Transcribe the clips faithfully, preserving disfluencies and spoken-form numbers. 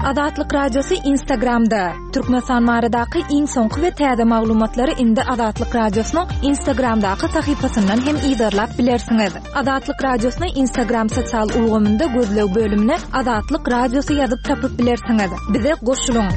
Azatlyk Radiosy Instagramda. Türkmenistan baradaky iň soňky we täze maglumatlary indi Azatlyk Radiosynyň Instagramdaky sahypasyndan hem yzarlap bilersiňiz. Azatlyk Radiosyny Instagram sosial ulgamynda gözleg bölümine Azatlyk Radiosy ýazyp tapyp bilersiňiz. Bize goşulyň.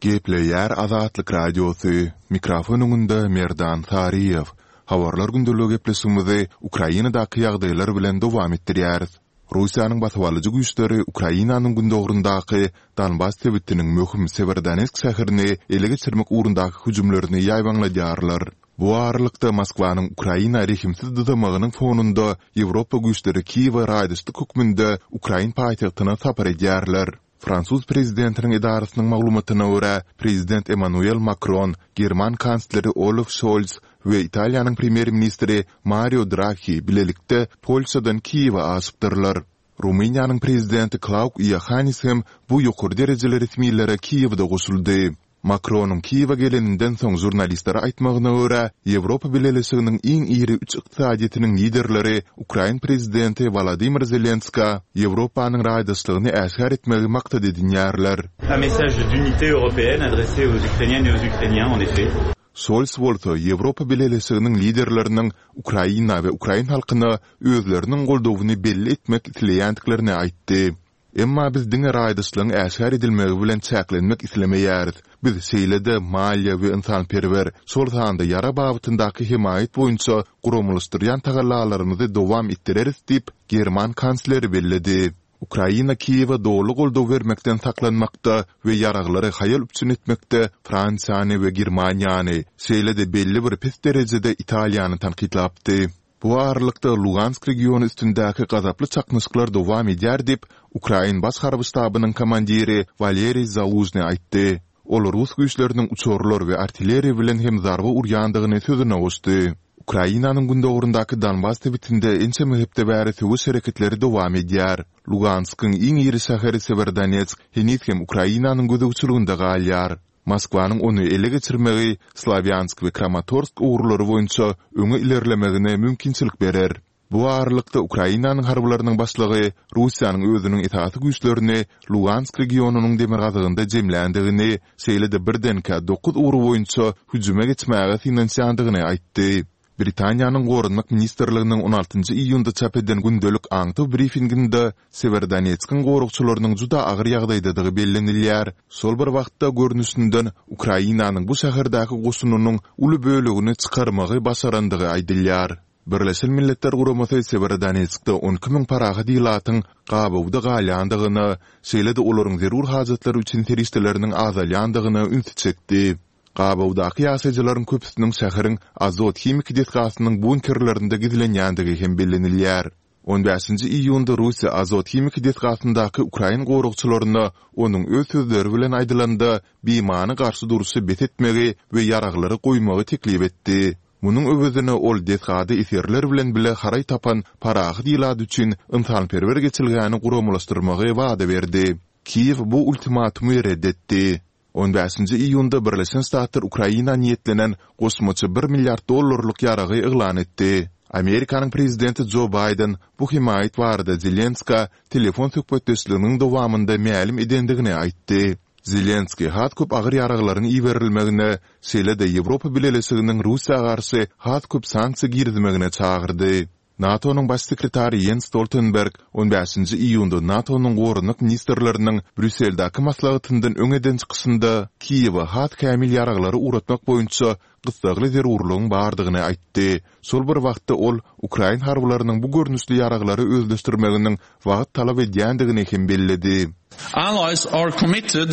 Gepleýär Azatlyk Radiosy, mikrofon öňünde Merdan Saryýew. Habarlar gündeligi gepleşigimizi Ukrainadaky ýagdaýlar bilen dowam etdirýäris. Russiýanyň basybalyjy güýçleri Ukrainanyň gündogaryndaky Donbas sebitiniň möhüm Sewerodonetsk şäherini ele geçirmek ugrundaky hüjümlerini ýaýbaňladýarlar. Bu aralykda, Moskwanyň Ukraina rehimsiz dyzamagynyň fonunda Ýewropa güýçleri Kiýewe raýdaşlyk hökmünde ukrain paýtagtyna sapar edýärler. Fransuz prezidentiniň edarasynyň maglumatyna görä, prezident Emmanuel Makron, german kansleri Olaf Şolz we Italiýanyň premýer-ministri Mario Draghi bilelikde Polşadan Kiýewe aşypdyrlar. Rumyniýanyň prezidenti Klauk Iohannis hem bu ýokary derejeli resmilere Kiýewde goşuldy. Makronyň Kiýewe geleninden soň žurnalistlere aýtmagyna görä, Ýewropa Bileleşiginiň iň iri üç ykdysadyýetiniň liderleri ukrain prezidenti Wolodymyr Zelenskä Ýewropanyň raýdaşlygyny äşgär etmegi maksat edinýärler. Un message d'unité européenne adressé aux Ukrainiennes et aux Ukrainiens, en effet. Şols bolsa Ýewropa Bileleşiginiň liderleriniň Ukraina we ukrain halkyna özleriniň goldawyny belli etmek isleýändiklerini aýtdy. Emma biz diňe raýdaşlygyň äşgär edilmegi bilen çäklenmek islemeýäris. Biz şeýle-de maliýe we ynsanperwer, şol sanda ýarag babatyndaky hemaýat boýunça guramalaşdyrýan tagallalarymyzy dowam etdireris diýip, german kansleri belledi. Ukraina Kiýewe doly goldaw bermekden saklanmakda we ýaraglary haýal üpjün etmekde Fransiýany we Germaniýany, şeýle-de belli bir pes derejede Italiýany tankytlapdy. Bu aralykda, Lugansk regiony üstündäki gazaply çaknyşyklar dowam edýär diýip, ukrain baş harby ştabynyň komandiri Waleriý Zalužnyý aýtdy. Ol rus güýçleriniň uçarlar we artilleriýa bilen hem zarba urýandygyny sözüne goşdy. Ukrainanyň gündogaryndaky Donbas sebitinde ençeme hepde bäri söweş hereketleri dowam edýär. Luganskyň iň iri şäheri Sewerodonetsk heniz hem Ukrainanyň gözegçiliginde galýar. Moskwanyň ony ele geçirmegi Slawýansk we Kramatorsk ugurlary boýunça öňe ilerlemegine mümkinçilik berer. Bu aralykda, Ukrainanyň harbylarynyň başlygy Russiýanyň özüniň esasy güýçlerini Lugansk regionynyň demirgazygynda jemländigini, şeýle-de birdenkä dokuz ugur boýunça hüjüme geçmäge synanyşýandygyny aýtdy. Britaniýanyň Goranmak ministrliginiň on altynjy iýunda çap eden gündelik aňtaw brifinginde Sewerodonetskiň goragçylarynyň juda agyr ýagdaýdadygy bellenilýär, şol bir wagtda görnüşinden Ukrainanyň bu şäherdäki goşunynyň uly bölegini çykarmagy başarandygy aýdylýar. Birleşen Milletler Guramasy Sewerodonetskde on iki müň parahat ilatyň gabawda galýandygyna, şeýle-de olaryň zerur hajatlary üçin serişdeleriniň azalýandygyna ünsi çekdi. Gabawdaky ýaşaýjylaryň köpüsiniň şäheriň Azot himiki desgasynyň bunkerlerinde gizlenýändigi hem bellenilýär. On bäşinji iýunda Russiýa Azot himiki desgasyndaky ukrain goragçylaryna, onuň öz sözleri bilen aýdylanda, bimany garşy durşy bes etmegi we ýaraglary goýmagy teklip etdi. Munuň öwezine ol desgada esgerler bilen bile haraý tapan parahat ilat üçin ynsanperwer geçelgäni guramalaşdyrmagy wada berdi. Kiýew bu ultimatumy ret etdi. On bäşinji iýunda Birleşen Ştatlar Ukraina niýetlenen goşmaça bir milliard dollarlyk ýaragy yglan etdi. Amerikanyň prezidenti Jo Baýden bu hemaýat barada Zelenskä telefon söhbetdeşliginiň dowamynda mälim edendigini aýtdy. Zelenskiý has köp agyr ýaraglaryň iberilmegine, şeýle-de Ýewropa Bileleşiginiň Russiýa garşy has köp sanksiýa girizmegine çagyrdy. NATO-nyň Baş sekretary Ýens Stoltenberg on bäşinji iýunda NATO-nyň goranmak ministrleriniň Brýusseldäki maslahatyndan öň eden çykyşynda Kiýewe has kämil ýaraglary ugratmak boýunça gyssagly zerurlygyň bardygyny aýtdy. Şol bir wagtda ol ukrain harbylarynyň bu görnüşli ýaraglary özleşdirmeginiň wagt talap edýändigini hem belledi. Allies are committed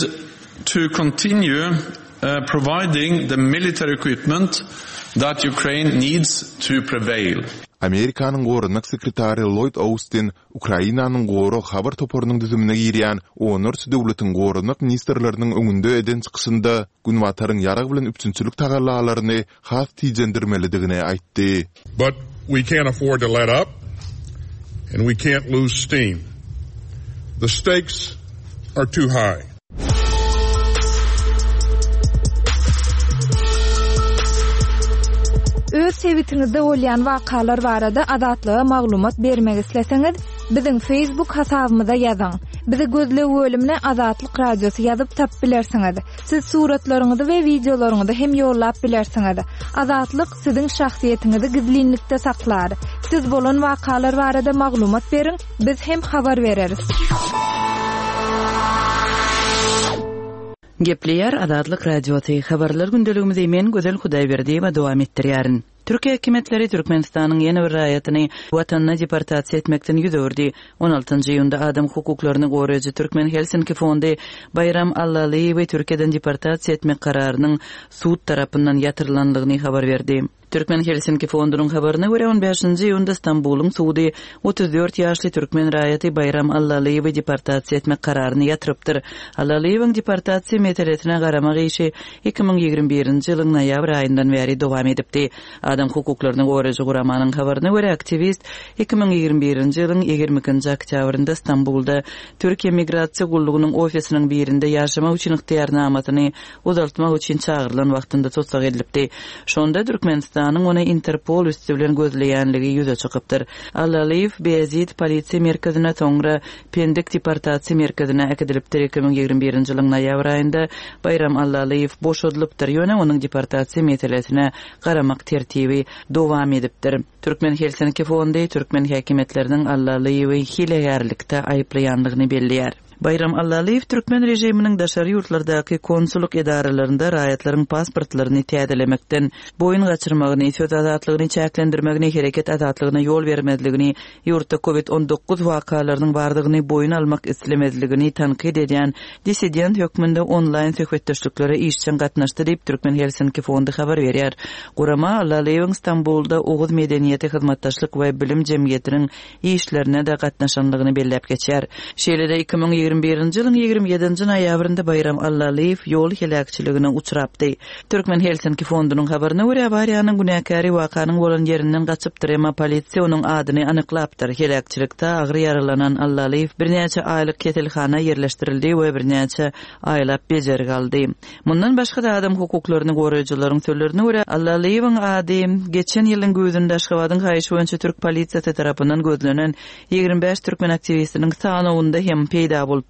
to continue providing the military equipment that Ukraine needs to prevail. Amerikanyň goranmak sekretary Lloýd Austin Ukrainanyň gorag habar toparynyň düzümine girýän onlarça döwletiň goranmak ministrleriniň öňünde eden çykyşynda Günbataryň ýarag bilen üpjünçilik tagallalaryny has tijendirmelidigini aýtdy. But we can't afford to let up and we can't lose steam. The stakes are too high. Öz Öz sebitiňizde bolýan wakalar barada Azatlyga maglumat bermek isleseňiz, biziň Facebook hasabymyza ýazyň. Bizi gözleg bölümine Azatlyk Radiosy ýazyp tapyp bilersiňiz. Siz suratlaryňyzy we wideolaryňyzy hem ýollap bilersiňiz. Azatlyk siziň şahsyýetiňizi gizlinlikde saklar. Siz bolan wakalar barada maglumat beriň, biz hem habar bereris. Gepleýär Azatlyk Radiosy. Habarlar gündeligimizi men Gözel Hudaýberdiýewa dowam etdirýärin. Türkiýe hökümetleri Türkmenistanyň ýene bir raýatyny watanyna deportasiýa etmekden ýüz öwürdi. on altynjy iýunda adam hukuklaryny goraýjy Türkmen Helsinki fondy Baýram Allalyýewi Türkiýeden deportasiýa etmek kararynyň sud tarapyndan ýatyrylanlygyny habar berdi. Türkmen Helsinki fondunyň habaryna görä on bäşinji iýunda Stambulyň sudy otuz dört ýaşly türkmen raýaty Baýram Allalyýewi deportasiýa etmek kararyny ýatyrypdyr. Allalyýewiň deportasiýa meselesine garamak işi iki müň ýigrimi birinji ýylyň noýabr aýyndan bäri dowam edipdi. Adam hukuklaryny goraýjy guramanyň habaryna görä aktiwist iki müň ýigrimi birinji ýylyň ýigrimi ikinji oktýabrynda Stambulda Türkiýe Migrasiýa gullugynyň ofisiniň birinde ýaşamak üçin ygtyýarnamasyny uzaltmak üçin çagyrylan wagtynda tussag edilipdi. Şonda Türkmenistanyň ony Interpol üstü bilen gözleýänligi ýüze çykypdyr. Allalyýew Beyazid polisiýa merkezine, soňra Pendik deportasiýa merkezine äkidilipdir. iki müň ýigrimi birinji ýylyň noýabr aýynda Baýram Allalyýew boşadylypdyr. Ýöne onuň deportasiýa meselesine garamak tertibi dowam edipdir. Türkmen Helsinki fondy türkmen häkimiýetleriniň Allalyýewi hilegärlikde aýyplaýanlygyny belleýär. Baýram Allalyýew türkmen režiminiň daşary ýurtlardaky konsullyk edaralarynda raýatlaryň pasportlaryny täzelemekden boýun gaçyrmagyny, söz azatlygyny çäklendirmegini, hereket azatlygyna ýol bermezligini, ýurtda COVID on dokuz wakalarynyň bardygyny boýun almak islemezligini tankyt edýän dissident hökmünde onlaýn söhbetdeşliklere işjeň gatnaşdy diýip Türkmen Helsinki fondy habar berýär. Gurama Allalyýewiň Stambulda Oguz medeniýeti hyzmatdaşlyk we bilim jemgyýetiniň işlerine de gatnaşanlygyny belläp geçýär. Şeýle-de iki müň ýigrimi birinji ýylyň ýigrimi ýedinji noýabrynda Baýram Allalyýew ýol heläkçiligine uçrapdy. Türkmen Helsinki fondunyň habaryna görä awariýanyň günäkäri wakanyň bolan ýerinden gaçypdyr, emma polisiýa onuň adyny anyklapdyr. Heläkçilikde agyr ýaralanan Allalyýew birnäçe aýlyk keselhana ýerleşdirildi we birnäçe aýlap bejergi aldy. Mundan başga da adam hukuklaryny goraýjylaryň sözlerine görä Allalyýewiň ady geçen ýylyň güýzünde Aşgabadyň haýyş boýunça türk polisiýasy tarapyndan gözlenen ýigrimi bäş türkmen aktiwistiniň sanawynda hem peýda bolupdy.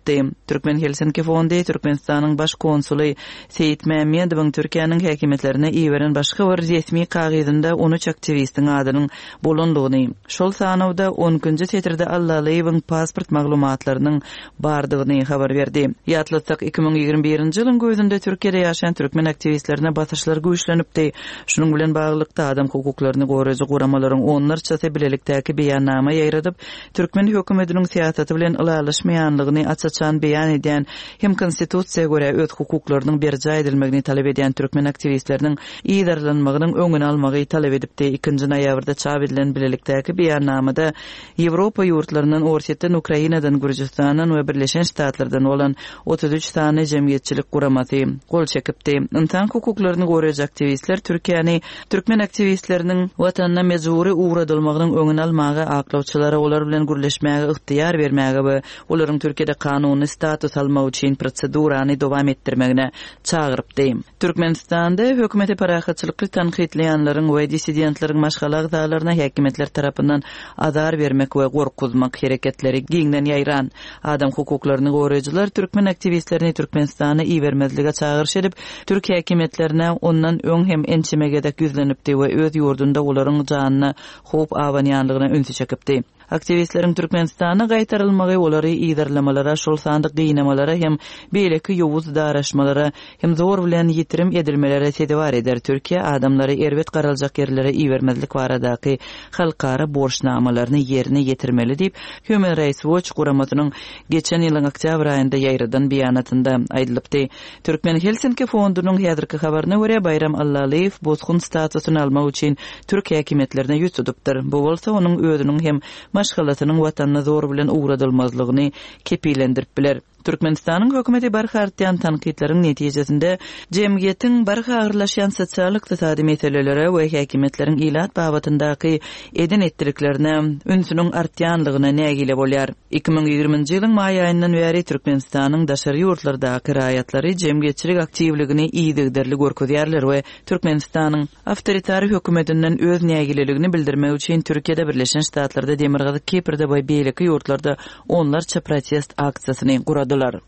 Türkmen Helsinki fondy Türkmenistanyň baş konsuly Seýit Mämmedowyň Türkiýäniň häkimiýetlerine iberen başga bir resmi kagyzynda on üç aktiwistiň adynyň bolandygyny, şol sanawda on ikinji setirde Allalyýewiň pasport maglumatlarynyň bardygyny habar berdi. Ýatlatsak iki müň ýigrimi birinji ýylyň güýzünde Türkiýede ýaşaýan türkmen aktiwistlerine basyşlar güýçlenipdi. Şunuň bilen baglylykda adam hukuklaryny goraýjy guramalaryň onlarçasy bilelikdäki beýannama ýaýradyp, türkmen hökümetiniň syýasaty bilen ylalaşmaýanlygyny aç-açan beýan edýän hem konstitusiýa görä öz hukuklarynyň berjaý edilmegini talap edýän türkmen aktiwistleriniň yzarlanmagynyň öňüni almagy talap edipdi. Ikinji noýabrda çap edilen bilelikdäki beýannamada Ýewropa ýurtlaryndan, Orsýetden, Ukrainadan, Gürjüstandan we Birleşen Ştatlardan bolan otuz üç sany jemgyýetçilik guramasy gol çekipdi. Insan hukuklaryny goraýjy aktiwistler Türkiýäni türkmen aktiwistleriniň watanyna mejbury ugradylmagynyň öňüni almaga, aklawçylara olar bilen gürleşmäge ygtyýar bermäge we olaryň Türkiýede kanuny status almak üçin prosedurany dowam etdirmegine çagyrypdy. Türkmenistanda hökümeti parahatçylykly tankytlaýanlaryň we dissidentleriň maşgala agzalaryna häkimiýetler tarapyndan azar bermek we gorkuzmak hereketleri giňden ýaýran. Adam hukuklaryny goraýjylar türkmen aktiwistlerini Türkmenistana ibermezlige çagyryş edip, türk häkimiýetlerine ondan öň hem ençeme gezek ýüzlenipdi we öz ýurdunda olaryň janyna howp abanýanlygyna ünsi çekipdi. Aktiwistleriň Türkmenistana gaýtarylmagy olary yzarlamalara, şol sandyk gynamalara hem beýleki ýowuz daraşmalara hem zor bilen ýitirim edilmelere sezewar eder. Türkiýe adamlary erbet garaljak ýerlere ibermezlik baradaky halkara borçnamalaryny ýerine ýetirmeli diýip Human Rights Watch guramasynyň geçen ýylyň oktýabr aýynda ýaýradan beýanatynda aýdylypdy. Türkmen Helsinki fondunyň häzirki habaryna görä Baýram Allalyýew bosgun statusyny almak üçin türk häkimiýetlerine ýüz tutupdyr. Bu bolsa onuň özüniň hem maşgalasynyň watanyna zor bilen ugradylmazlygyny kepilendirip biler. Türkmenistanyň hökümeti barha artýan tankytlaryň netijesinde jemgyýetiň barha agyrlaşýan sosial-ykdysady meselelere we häkimiýetleriň ilat babatyndaky eden etdiliklerine ünsüniň artýanlygyna nägile bolýar. iki müň ýigriminji ýylyň maý aýyndan bäri Türkmenistanyň daşary ýurtlardaky raýatlary jemgyýetçilik aktiwligini yzygiderli görkezýärler we Türkmenistanyň awtoritar hökümetinden öz nägileligini bildirmek üçin Türkiýede, Birleşen Ştatlarda, Demirgazyk Kiprde we beýleki ýurtlarda onlarça protest aksiýasyny guradylar.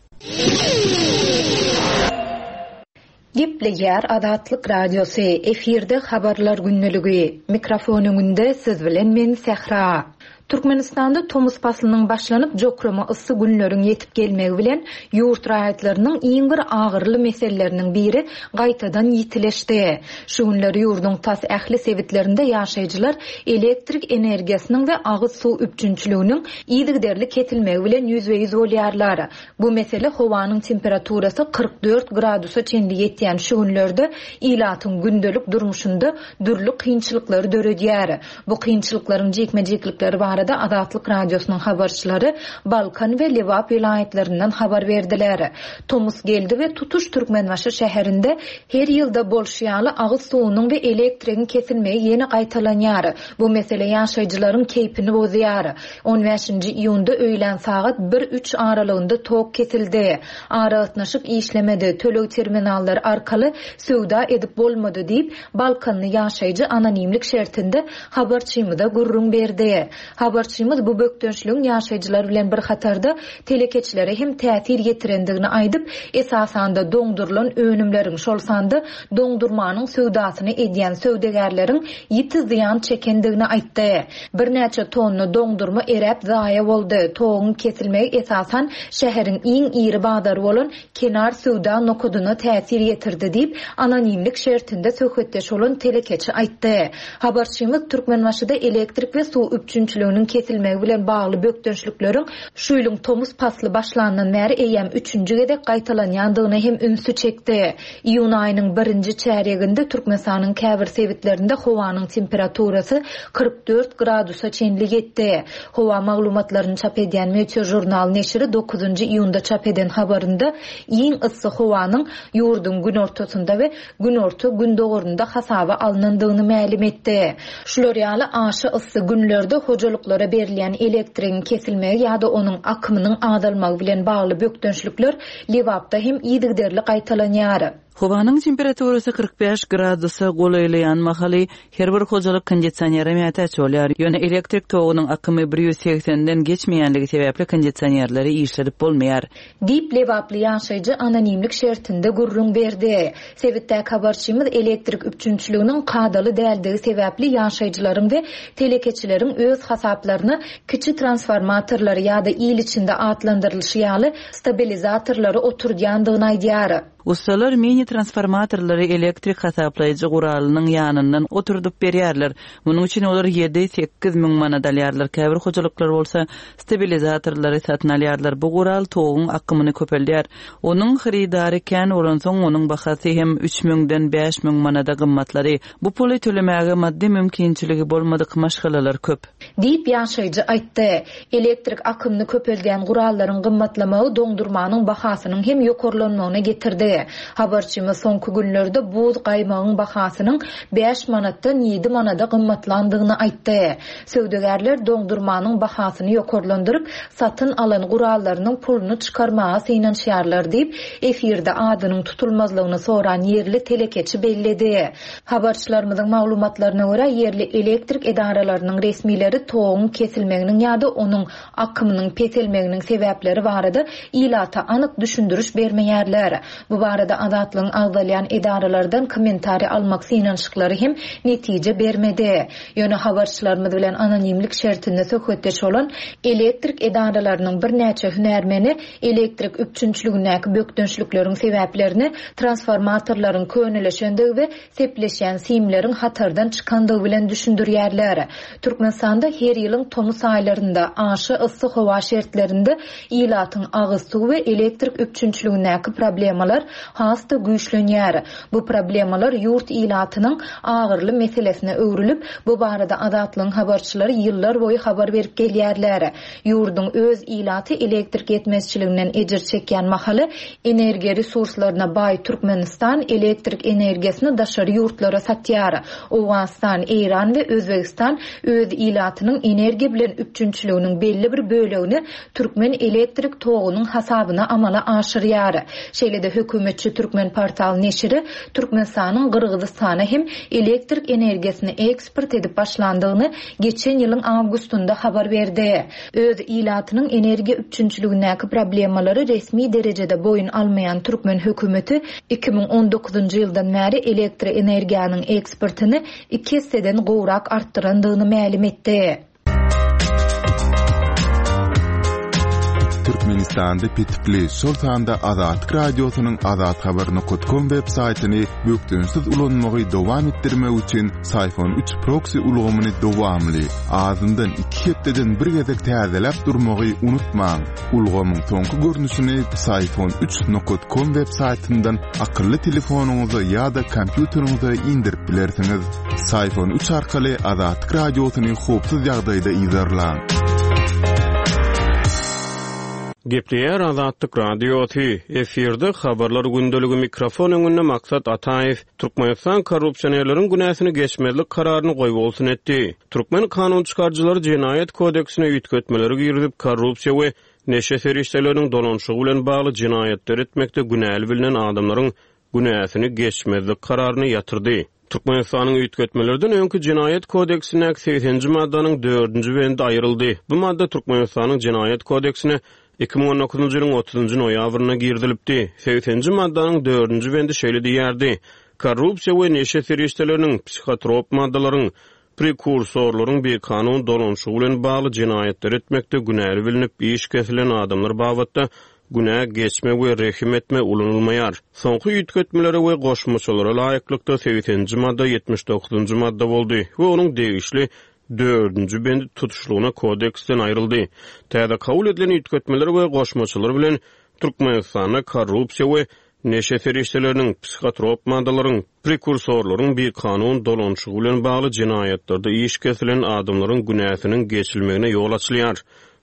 Gepleýär Azatlyk Radiosy, efirde habarlar gündeligi. Mikrofon öňünde siz bilen men Sähra. Türkmenistanda tomus paslynyň başlanyp jokrama yssy günleriň ýetip gelmegi bilen ýurt raýatlarynyň iň bir agyrly meseleleriniň biri gaýtadan ýitileşdi. Şu günler ýurduň tas ähli sebitlerinde ýaşaýjylar elektrik energiýasynyň we agyz suw üpjünçiliginiň yzygiderli kesilmegi bilen ýüzbe-ýüz bolýarlar. Bu mesele howanyň temperaturasy kyrk dört gradusa çenli ýetýän şu günlerde ilatyň gündelik durmuşynda dürli kynçylyklary döredýär. Bu kynçylyklaryň jikme-jiklikleri barada Azatlyk Radiosynyň habarçylary Balkan we Lebap welaýatlaryndan habar berdiler. Tomus geldi we tutuş Türkmenbaşy şäherinde her ýylda bolşy ýaly agyz suwunyň we elektrigiň kesilmegi ýene gaýtalanýar. Bu mesele ýaşaýjylaryň keýpini bozýar. on bäşinji iýunda öýlän sagat bir üç aralygynda tok kesildi. Aragatnaşyk işlemedi, töleg terminallary arkaly söwda edip bolmady diýip, Balkanly ýaşaýjy anonimlik şertinde habarçymyza gürrüň berdi. Habarçymyz bu bökdençligiň ýaşaýjylar bilen bir hatarda telekeçilere hem täsir ýetirendigini aýdyp, esasanda doňdurylan önümleriň, şol sanda doňdurmanyň söwdasyny edýän söwdagärleriň ýiti zyýan çekendigini aýtdy. Birnäçe tonna doňdurma eräp zaýa boldy. Toguň kesilmegi esasan şäheriň iň iri bazary bolan Kenar söwda nokadyna täsir ýetirdi diýip, anonimlik şertinde söhbetdeş bolan telekeçi aýtdy. Habarçymyz Türkmenbaşyda elektrik we suw üpjünçiliginiň kesilmegi bilen bagly bökdençlikleriň şu ýylyň tomus pasly başlandan bäri eýýäm üçünji gezek gaýtalanýandygyna hem ünsi çekdi. Iýun aýynyň birinji çärýeginde Türkmenistanyň käbir sebitlerinde howanyň temperaturasy kyrk dört gradusa çenli ýetdi. Howa maglumatlaryny çap edýän Meteo Journal neşiri dokuzynjy iýunda çap eden habarynda iň yssy howanyň ýurduň günortasynda we günorta gündogarynda hasaba alynandygyny mälim etdi. Şular ýaly aşa yssy günlerde hojalyklara berilýän elektrigiň kesilmegi ýa-da onuň akymynyň azalmagy bilen bagly bökdençlikler Lebapda hem yzygiderli gaýtalanýar. Howanyň temperaturasy kyrk bäş gradusa golaýlaýan mahaly her bir hojalyk kondisionere mätäç bolýar. Ýöne elektrik togunyň akymy bir ýüz segsenden geçmeýänligi sebäpli kondisionerleri işledip bolmaýar. Diýip Lebaply ýaşaýjy anonimlik şertinde gürrüň berdi. Sebitdäki habarçymyz elektrik üpjünçiliginiň kadaly däldigi sebäpli ýaşaýjylaryň we telekeçileriň öz hasaplaryna kiçi transformatorlary ýa-da il içinde atlandyrylyşy ýaly stabilizatorlary oturdýandygyny aýdýar. Ustalar mini transformatorlary elektrik hasaplaýjy guralynyň ýanyndan oturdyp berýärler. Munuň üçin olar ýedi sekiz müň manat alýarlar. Käbir hojalyklar bolsa stabilizatorlary satyn alýarlar. Bu gural toguň akymyny köpeldýär. Onuň hyrydary kän bolansoň onuň bahasy hem üç müňden bäş müň manada gymmatlary. Bu puly tölemäge maddy mümkinçiligi bolmadyk maşgalalar köp. Diýip ýaşaýjy aýtdy. Elektrik akymyny köpeldýän gurallaryň gymmatlamagy doňdurmanyň bahasynyň hem ýokarlanmagyna getirdi. Habarçymyz soňky günlerde buz gaýmagyň bahasynyň bäş manatdan ýedi manada gymmatlandygyny aýtdy. Söwdagärler doňdurmanyň bahasyny ýokarlandyryp, satyn alan gurallarynyň puluny çykarmaga synanyşýarlar diýip, efirde adynyň tutulmazlygyny soran ýerli telekeçi belledi. Habarçylarymyzyň maglumatlaryna görä, ýerli elektrik edaralarynyň resmileri toguň kesilmeginiň ýa-da onuň akymynyň peselmeginiň sebäpleri barada ilata anyk düşündiriş bermeýärler. Bu barada Azatlygyň agzalýan edaralardan kommentariý almak synanyşyklary hem netije bermedi. Ýöne habarçylarymyz bilen anonimlik şertinde söhbetdeş bolan elektrik edaralarynyň birnäçe hünärmeni elektrik üpjünçiligindäki bökdençlikleriň sebäplerini transformatorlaryň köneleşendigi we sepleşýän simleriň hatardan çykandygy bilen düşündirýärler. Türkmenistanda her ýylyň tomus aýlarynda aşa yssy howa şertlerinde ilatyň agyz suw we elektrik üpjünçiligindäki problemalar has-da güýçlenýär. Bu problemalar ýurt ilatynyň agyrly meselesine öwrülip, bu barada Azatlygyň habarçylary ýyllar boýy habar berip gelýärler. Ýurduň öz ilaty elektrik ýetmezçiliginden ejir çekýän mahaly energiýa resurslaryna baý Türkmenistan elektrik energiýasyny daşary ýurtlara satýar. Owganystan, Eýran we Özbegistan öz ilatynyň energiýa bilen üpjünçiliginiň belli bir bölegini türkmen elektrik togunyň hasabyna amala aşyrýar. Şeýle-de hökümetçi Türkmen portal neşiri Türkmenistanyň Gyrgyzystana hem elektrik energiýasyny eksport edip başlandygyny geçen ýylyň awgustynda habar berdi. Öz ilatynyň energiýa üpjünçiligindäki problemalary resmi derejede boýun almaýan türkmen hökümeti iki müň on dokuzynjy ýyldan bäri elektroenergiýanyň eksportyny iki esseden gowrak artdyrandygyny mälim etdi. Türkmenistanda petikli, şol sanda Azatlyk Radiosynyň azathabar nokta com web saýtyny bökdençsiz ulanmagy dowam etdirmek üçin Syfon üç proxy ulgamyny dowamly, azyndan iki hepdeden bir gezek täzeläp durmagy unutmaň. Ulgamyň soňky görnüşini Syfon üç nokta com web saýtyndan akylly telefonyňyza ýa-da kompýuteriňize indirip bilersiňiz. Syfon üç arkaly Azatlyk Radiosyny howpsuz ýagdaýda yzarlaň. Gepleýär Azatlyk Radiosy, efirde habarlar gündeligi mikrofon öňünde Maksat Ataýew, Türkmenistan korrupsionerleriň günäsini geçmezlik kararyny goýbolsun etdi. Türkmen kanun çykaryjylary jenaýat kodeksine üýtgetmeleri girizip, korrupsiýa we neşe serişdeleriniň dolanşygy bilen bagly jenaýatlar etmekde günäli bilinen adamlaryň günäsini geçmezlik kararyny ýatyrdy. Türkmenistanyň üýtgetmelerden öňki jenaýat kodeksindäki segsenji maddanyň dördünji bendi aýryldy. Bu madda Türkmenistanyň jenaýat kodeksine iki müň on dokuzynjy ýylyň otuzynjy noýabrynda girizilipdi. Segsenji maddanyň dördünji bendi şeýle diýýärdi: Korrupsiýa we neşe serişdeleriniň, psihotrop maddalaryň, prekursorlaryň bikanun dolanşygy bilen bagly jenaýatlar etmekde günäli bilinip iş kesilen adamlar babatda günä geçme we rehim etme ulanylmaýar. Soňky üýtgetmelere we goşmaçalara laýyklykda segsenji madda ýetmiş dokuzynjy madda boldy we onuň degişli dördünji bendi tutuşlygyna kodeksden aýryldy. Täze kabul edilen üýtgetmeler we goşmaçalar bilen Türkmenistanda korrupsiýa we neşe serişdeleriniň, psihotrop maddalaryň, prekursorlaryň bikanun dolanşygy bilen bagly jenaýatlarda iş kesilen adamlaryň günäsiniň geçilmegine ýol açylýar.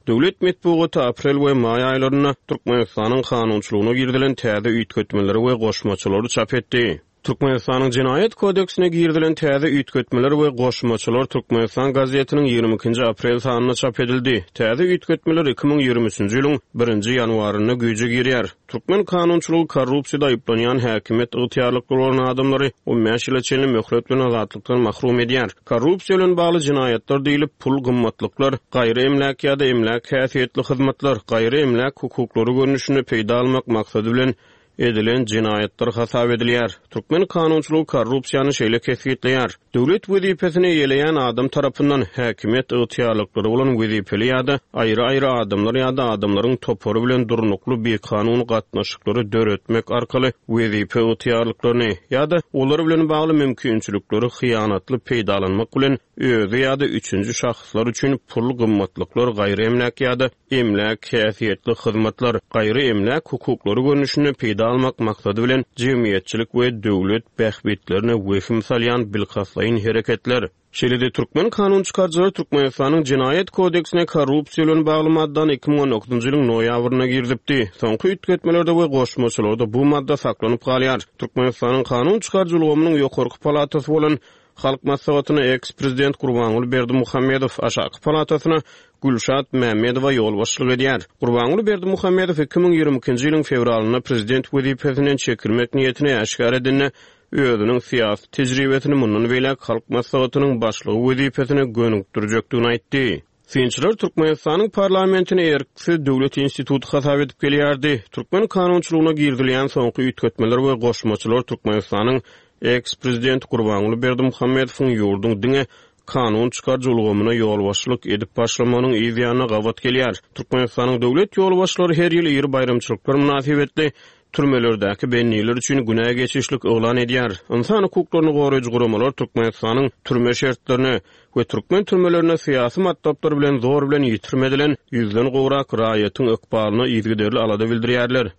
Döwlet metbugaty aprel we maý aýlarynda Türkmenistanyň kanunçylygyna girizilen täze üýtgetmeleri we goşmaçalary çap etdi. Türkmenistanyň Jenaýat kodeksine girizilen täze üýtgetmeler we goşmaçalar Türkmenistan gazetiniň ýigrimi ikinji aprel sanynda çap edildi. Täze üýtgetmeler iki müň ýigrimi üçünji ýylyň birinji ýanwarynda güýje girýär. Türkmen kanunçylygy korrupsiýada aýyplanýan häkimiýet ygtyýarlyklary bolan adamlary on bäş ýyla çenli möhlet bilen azatlykdan mahrum edýär. Korrupsiýa bilen bagly jenaýatlar diýlip pul gymmatlyklar, gaýry emläk ýa-da emläk häsiýetli hyzmatlar, gaýry emläk hukuklary görnüşinde peýda almak maksady bilen edilen jenaýatlar hasap edilýär. Türkmen kanunçylygy korrupsiýany şeýle kesgitleýär. Döwlet wezipesini eýeleýän adam tarapyndan häkimiýet ygtyýarlyklary bolan wezipeli ýa-da aýry-aýry adamlar ýa-da adamlaryň topary bilen durnukly bikanun gatnaşyklary döretmek arkaly wezipe ygtyýarlyklaryny ýa-da olar bilen bagly mümkinçilikleri hyýanatly peýdalanmak bilen özi ýa-da üçünji şahslar üçin pul gymmatlyklar, gaýry emläk ýa-da emläk häsiýetli hyzmatlar, gaýry emläk hukuklary görnüşinde peýda almak maksady bilen jemgyýetçilik we döwlet bähbitlerine wehim salýan bilkastlaýyn hereketler. Şeýle-de Türkmen kanun çykaryjylary Türkmenistanyň Jenaýat kodeksine korrupsiýa bilen bagly maddany iki müň on dokuzynjy ýylyň noýabrynda girizipdi. Soňky üýtgetmelerde we goşmaçalarda bu madda saklanyp galýar. Türkmenistanyň kanun çykaryjy ulgamynyň ýokarky palatasy bolan Halk Maslahatyna eks-prezident Gurbanguly Berdimuhamedow, aşaky palatasyna Gülşat Mämmedowa ýolbaşçylyk edýär. Gurbanguly Berdimuhamedow iki müň ýigrimi ikinji ýylyň fewralynda prezident wezipesinden çekilmek niýetini äşgär edende özüniň syýasy tejribesini mundan beýläk Halk Maslahatynyň başlygy wezipesine gönükdirjekdigini aýtdy. Synçylar Türkmenistanyň parlamentini erksiz döwlet instituty hasap edip gelýärdi. Türkmen kanunçylygyna girizilýän soňky üýtgetmeler we goşmaçalar Türkmenistanyň eks-prezident Gurbanguly Berdimuhamedowyň ýurduň diňe kanun çykaryjy ulgamyna ýolbaşçylyk edip başlamagynyň yz ýanyna gabat gelýär. Türkmenistanyň döwlet ýolbaşçylary her ýyl iri baýramçylyklar mynasybetli türmelerdäki bendiler üçin günä geçişlik yglan edýär. Ynsan hukuklaryny goraýjy guramalar Türkmenistanyň türme şertlerine we türkmen türmelerine syýasy matlaplar bilen zor bilen ýitirim edilen ýüzden gowrak raýatyň ykbalyna yzygiderli alada bildirýärler.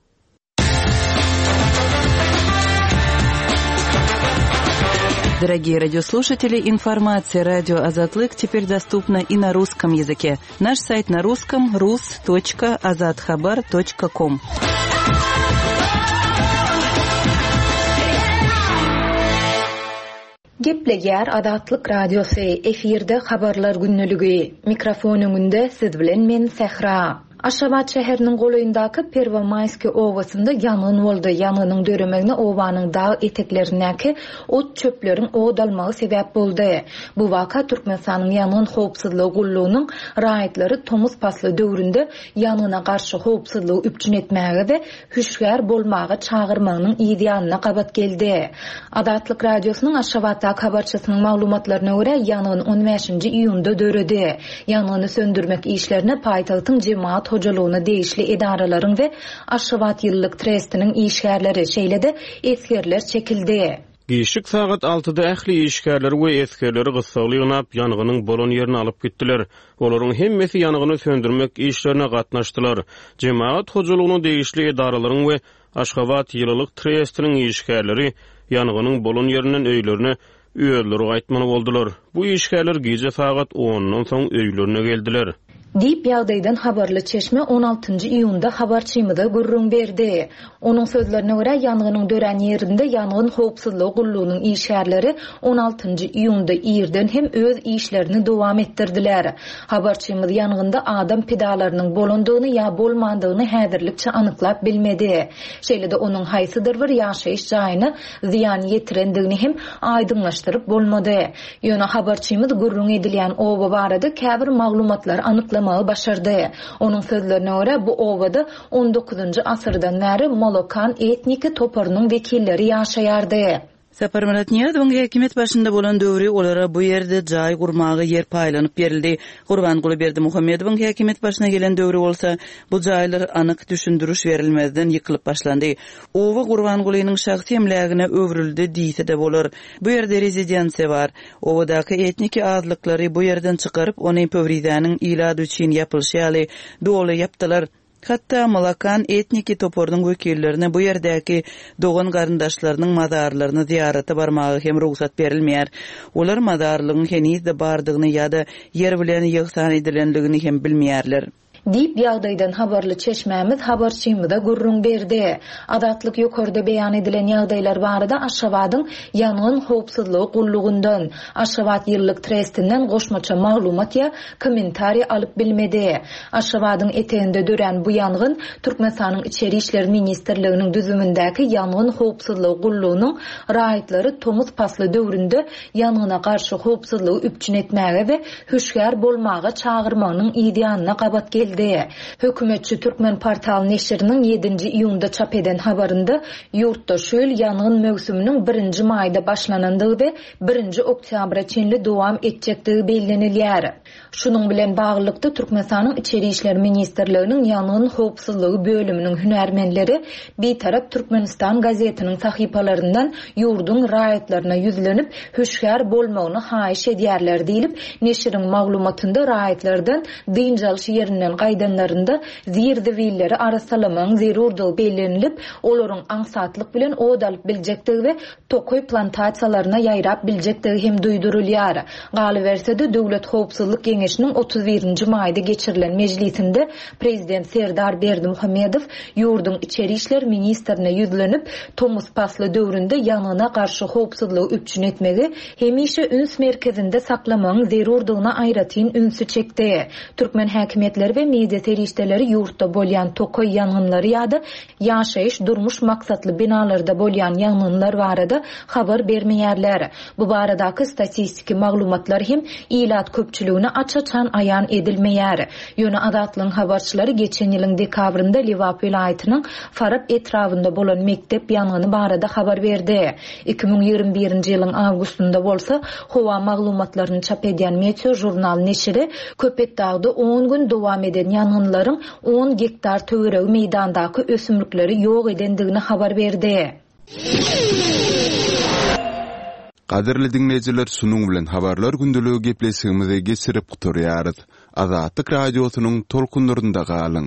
Дорогие радиослушатели, информация радио Азатлык теперь доступна и на русском языке. Наш сайт на русском rus.azathabar.com. Gepleýär Azatlyk Radiosy, efirde habarlar günlügi. Mikrofon öňünde siz bilen men Sähra. Aşgabat şäheriniň golaýyndaky Perwomaýski obasynda ýangyn boldy. Ýangynyň döremegine obanyň dag eteklerindäki ot çöpleriň od almagy sebäp boldy. Bu waka Türkmenistanyň ýangyn howpsuzlygy gullugynyň raýatlary tomus pasly döwründe ýangyna garşy howpsuzlygy üpjün etmäge we hüşgär bolmaga çagyrmagynyň ýanyna gabat geldi. Azatlyk Radiosynyň Aşgabatdaky habarçysynyň maglumatlaryna görä ýangyn on bäşinji iýunda döredi. Ýangyny söndürmek işlerine paýtagtyň jemaat hojalygyna degişli edaralaryň we Aşgabat ýyllyk trestiniň işgärleri, şeýle-de esgerler çekildi. Gişik sagat altyda ähli işgärleri we esgerleri gyssagly ýygnap ýangynyň bolan ýerine alyp gitdiler. Olaryň hemmesi ýangyny söndürmek işlerine gatnaşdylar. Jemaat hojalygyna degişli edaralaryň we Aşgabat ýyllyk trestiniň işgärleri ýangynyň bolan ýerinden öýlerine özleri gaýtmaly boldular. Bu işgärler gije sagat ondan soň öýlerine geldiler. Diýip ýagdaýdan habarly çeşme on altynjy iýunda habarçymyza gürrüň berdi. Onuň sözlerine görä ýangynyň dörän ýerinde ýangyn howpsuzlygy gullugynyň işgärleri on altynjy iýunda irden hem öz işlerini dowam etdirdiler. Habarçymyz ýangynda adam pidalarynyň bolandygyny ýa bolmandygyny häzirlikçe anyklap bilmedi. Şeýle-de onuň haýsydyr bir ýaşaýyş jaýyna zyýan ýetirendigini hem aýdyňlaşdyryp bolmady. Ýöne habarçymyz gürrüň edilýän oba barada käbir maglumatlary anyklamagy başardy. Onuň sözlerine görä bu obada on dokuzynjy asyrdan bäri Molokan etniki toparynyň wekilleri ýaşaýardy. Saparmyrat Nyýazowyň häkimiýet başynda bolan döwri olara bu ýerde jaý gurmaga ýer paýlanyp berildi. Gurbanguly Berdimuhamedowyň häkimiýet başyna gelen döwri bolsa bu jaýlar anyk düşündiriş berilmezden ýykylyp başlandy. Oba Gurbangulynyň şahsy emlägine öwrüldi diýse-de bolar. Bu ýerde rezidensiýa bar. Obadaky etniki azlyklary bu ýerden çykaryp, ony Pöwrizäniň ilady üçin ýapylyşy ýaly doly ýapdylar. Hatda Malakan etniki toparynyň wekillerine bu ýerdäki dogan garyndaşlarynyň mazarlaryny ziýarata barmaga hem rugsat berilmeýär. Olar mazarlygyň henizde bardygyny ýa-da ýer bilen ýygsan edilenligini hem bilmeýärler. Diýip ýagdaýdan habarly çeşmämiz habarçymyza gürrüň berdi. Azatlyk ýokarda beýan edilen ýagdaýlar barada Aşgabadyň ýangyn howpsuzlygy gullugyndan, Aşgabat ýyllyk trestinden goşmaça maglumat ýa kommentariý alyp bilmedi. Aşgabadyň eteginde dörän bu ýangyn Türkmenistanyň Içeri İşler Ministrliginiň düzümindäki ýangyn howpsuzlygy gullugynyň raýatlary tomus pasly döwründe ýangyna garşy howpsuzlygy üpjün etmäge we hüşgär bolmaga çagyrmagynyň ýanyna gabat geldi. Hökümetçi Türkmen portal neşiriniň ýedinji iýunda çap eden habarynda ýurtda şu ýyl ýangyn möwsüminiň birinji maýda başlanandygy we birinji oktýabra çenli dowam etjekdigi bellenilýär. Şunuň bilen baglylykda Türkmenistanyň Içeri İşler Ministrliginiň ýangyn howpsuzlygy bölüminiň hünärmenleri Bitarap Türkmenistan gazetiniň sahypalaryndan ýurduň raýatlaryna ýüzlenip hüşgär bolmagyny haýyş edýärler diýilip, neşiriň maglumatynda raýatlardan dynç alyş ýerinden gaýdanlarynda zir-zibilleri arassalamagyň zerurdygy bellenilip, olaryň aňsatlyk bilen od alyp biljekdigi we tokaý plantasiýalaryna ýaýrap biljekdigi hem duýdurylýar. Galyberse-de Döwlet Howpsuzlyk Geňeşiniň otuz birinji maýda geçirilen mejlisinde Prezident Serdar Berdimuhamedow ýurduň Içeri İşler Ministrine ýüzlenip, tomus pasly döwründe ýangyna garşy howpsuzlygy üpjün etmegi hemişe üns merkezinde saklamagyň zerurdygyna aýratyn ünsi çekdi. Türkmen häkimiýetleri we media serişdeleri ýurtda bolýan tokaý ýangynlary ýa-da ýaşaýyş durmuş maksatly binalarda bolýan ýangynlar barada habar bermeýärler. Bu baradaky statistiki maglumatlar hem ilat köpçüligine aç-açan aýan edilmeýär. Ýöne Azatlygyň habarçylary geçen ýylyň dekabrynda Lebap welaýatynyň Farap etrabynda bolan mekdep ýangyny barada habar berdi. iki müň ýigrimi birinji ýylyň awgustynda bolsa howa maglumatlaryny çap edýän Meteo jurnal neşiri Köpetdagda on gün dowam eden ýangynlaryň on gektar töweregi meýdandaky ösümlikleri ýok edendigini habar berdi. Gadyrly dinleýjiler, şunuň bilen habarlar gündeligi gepleşigimizi geçirip gutarýarys. Azatlyk radiosynyň tolkunlarynda galyň.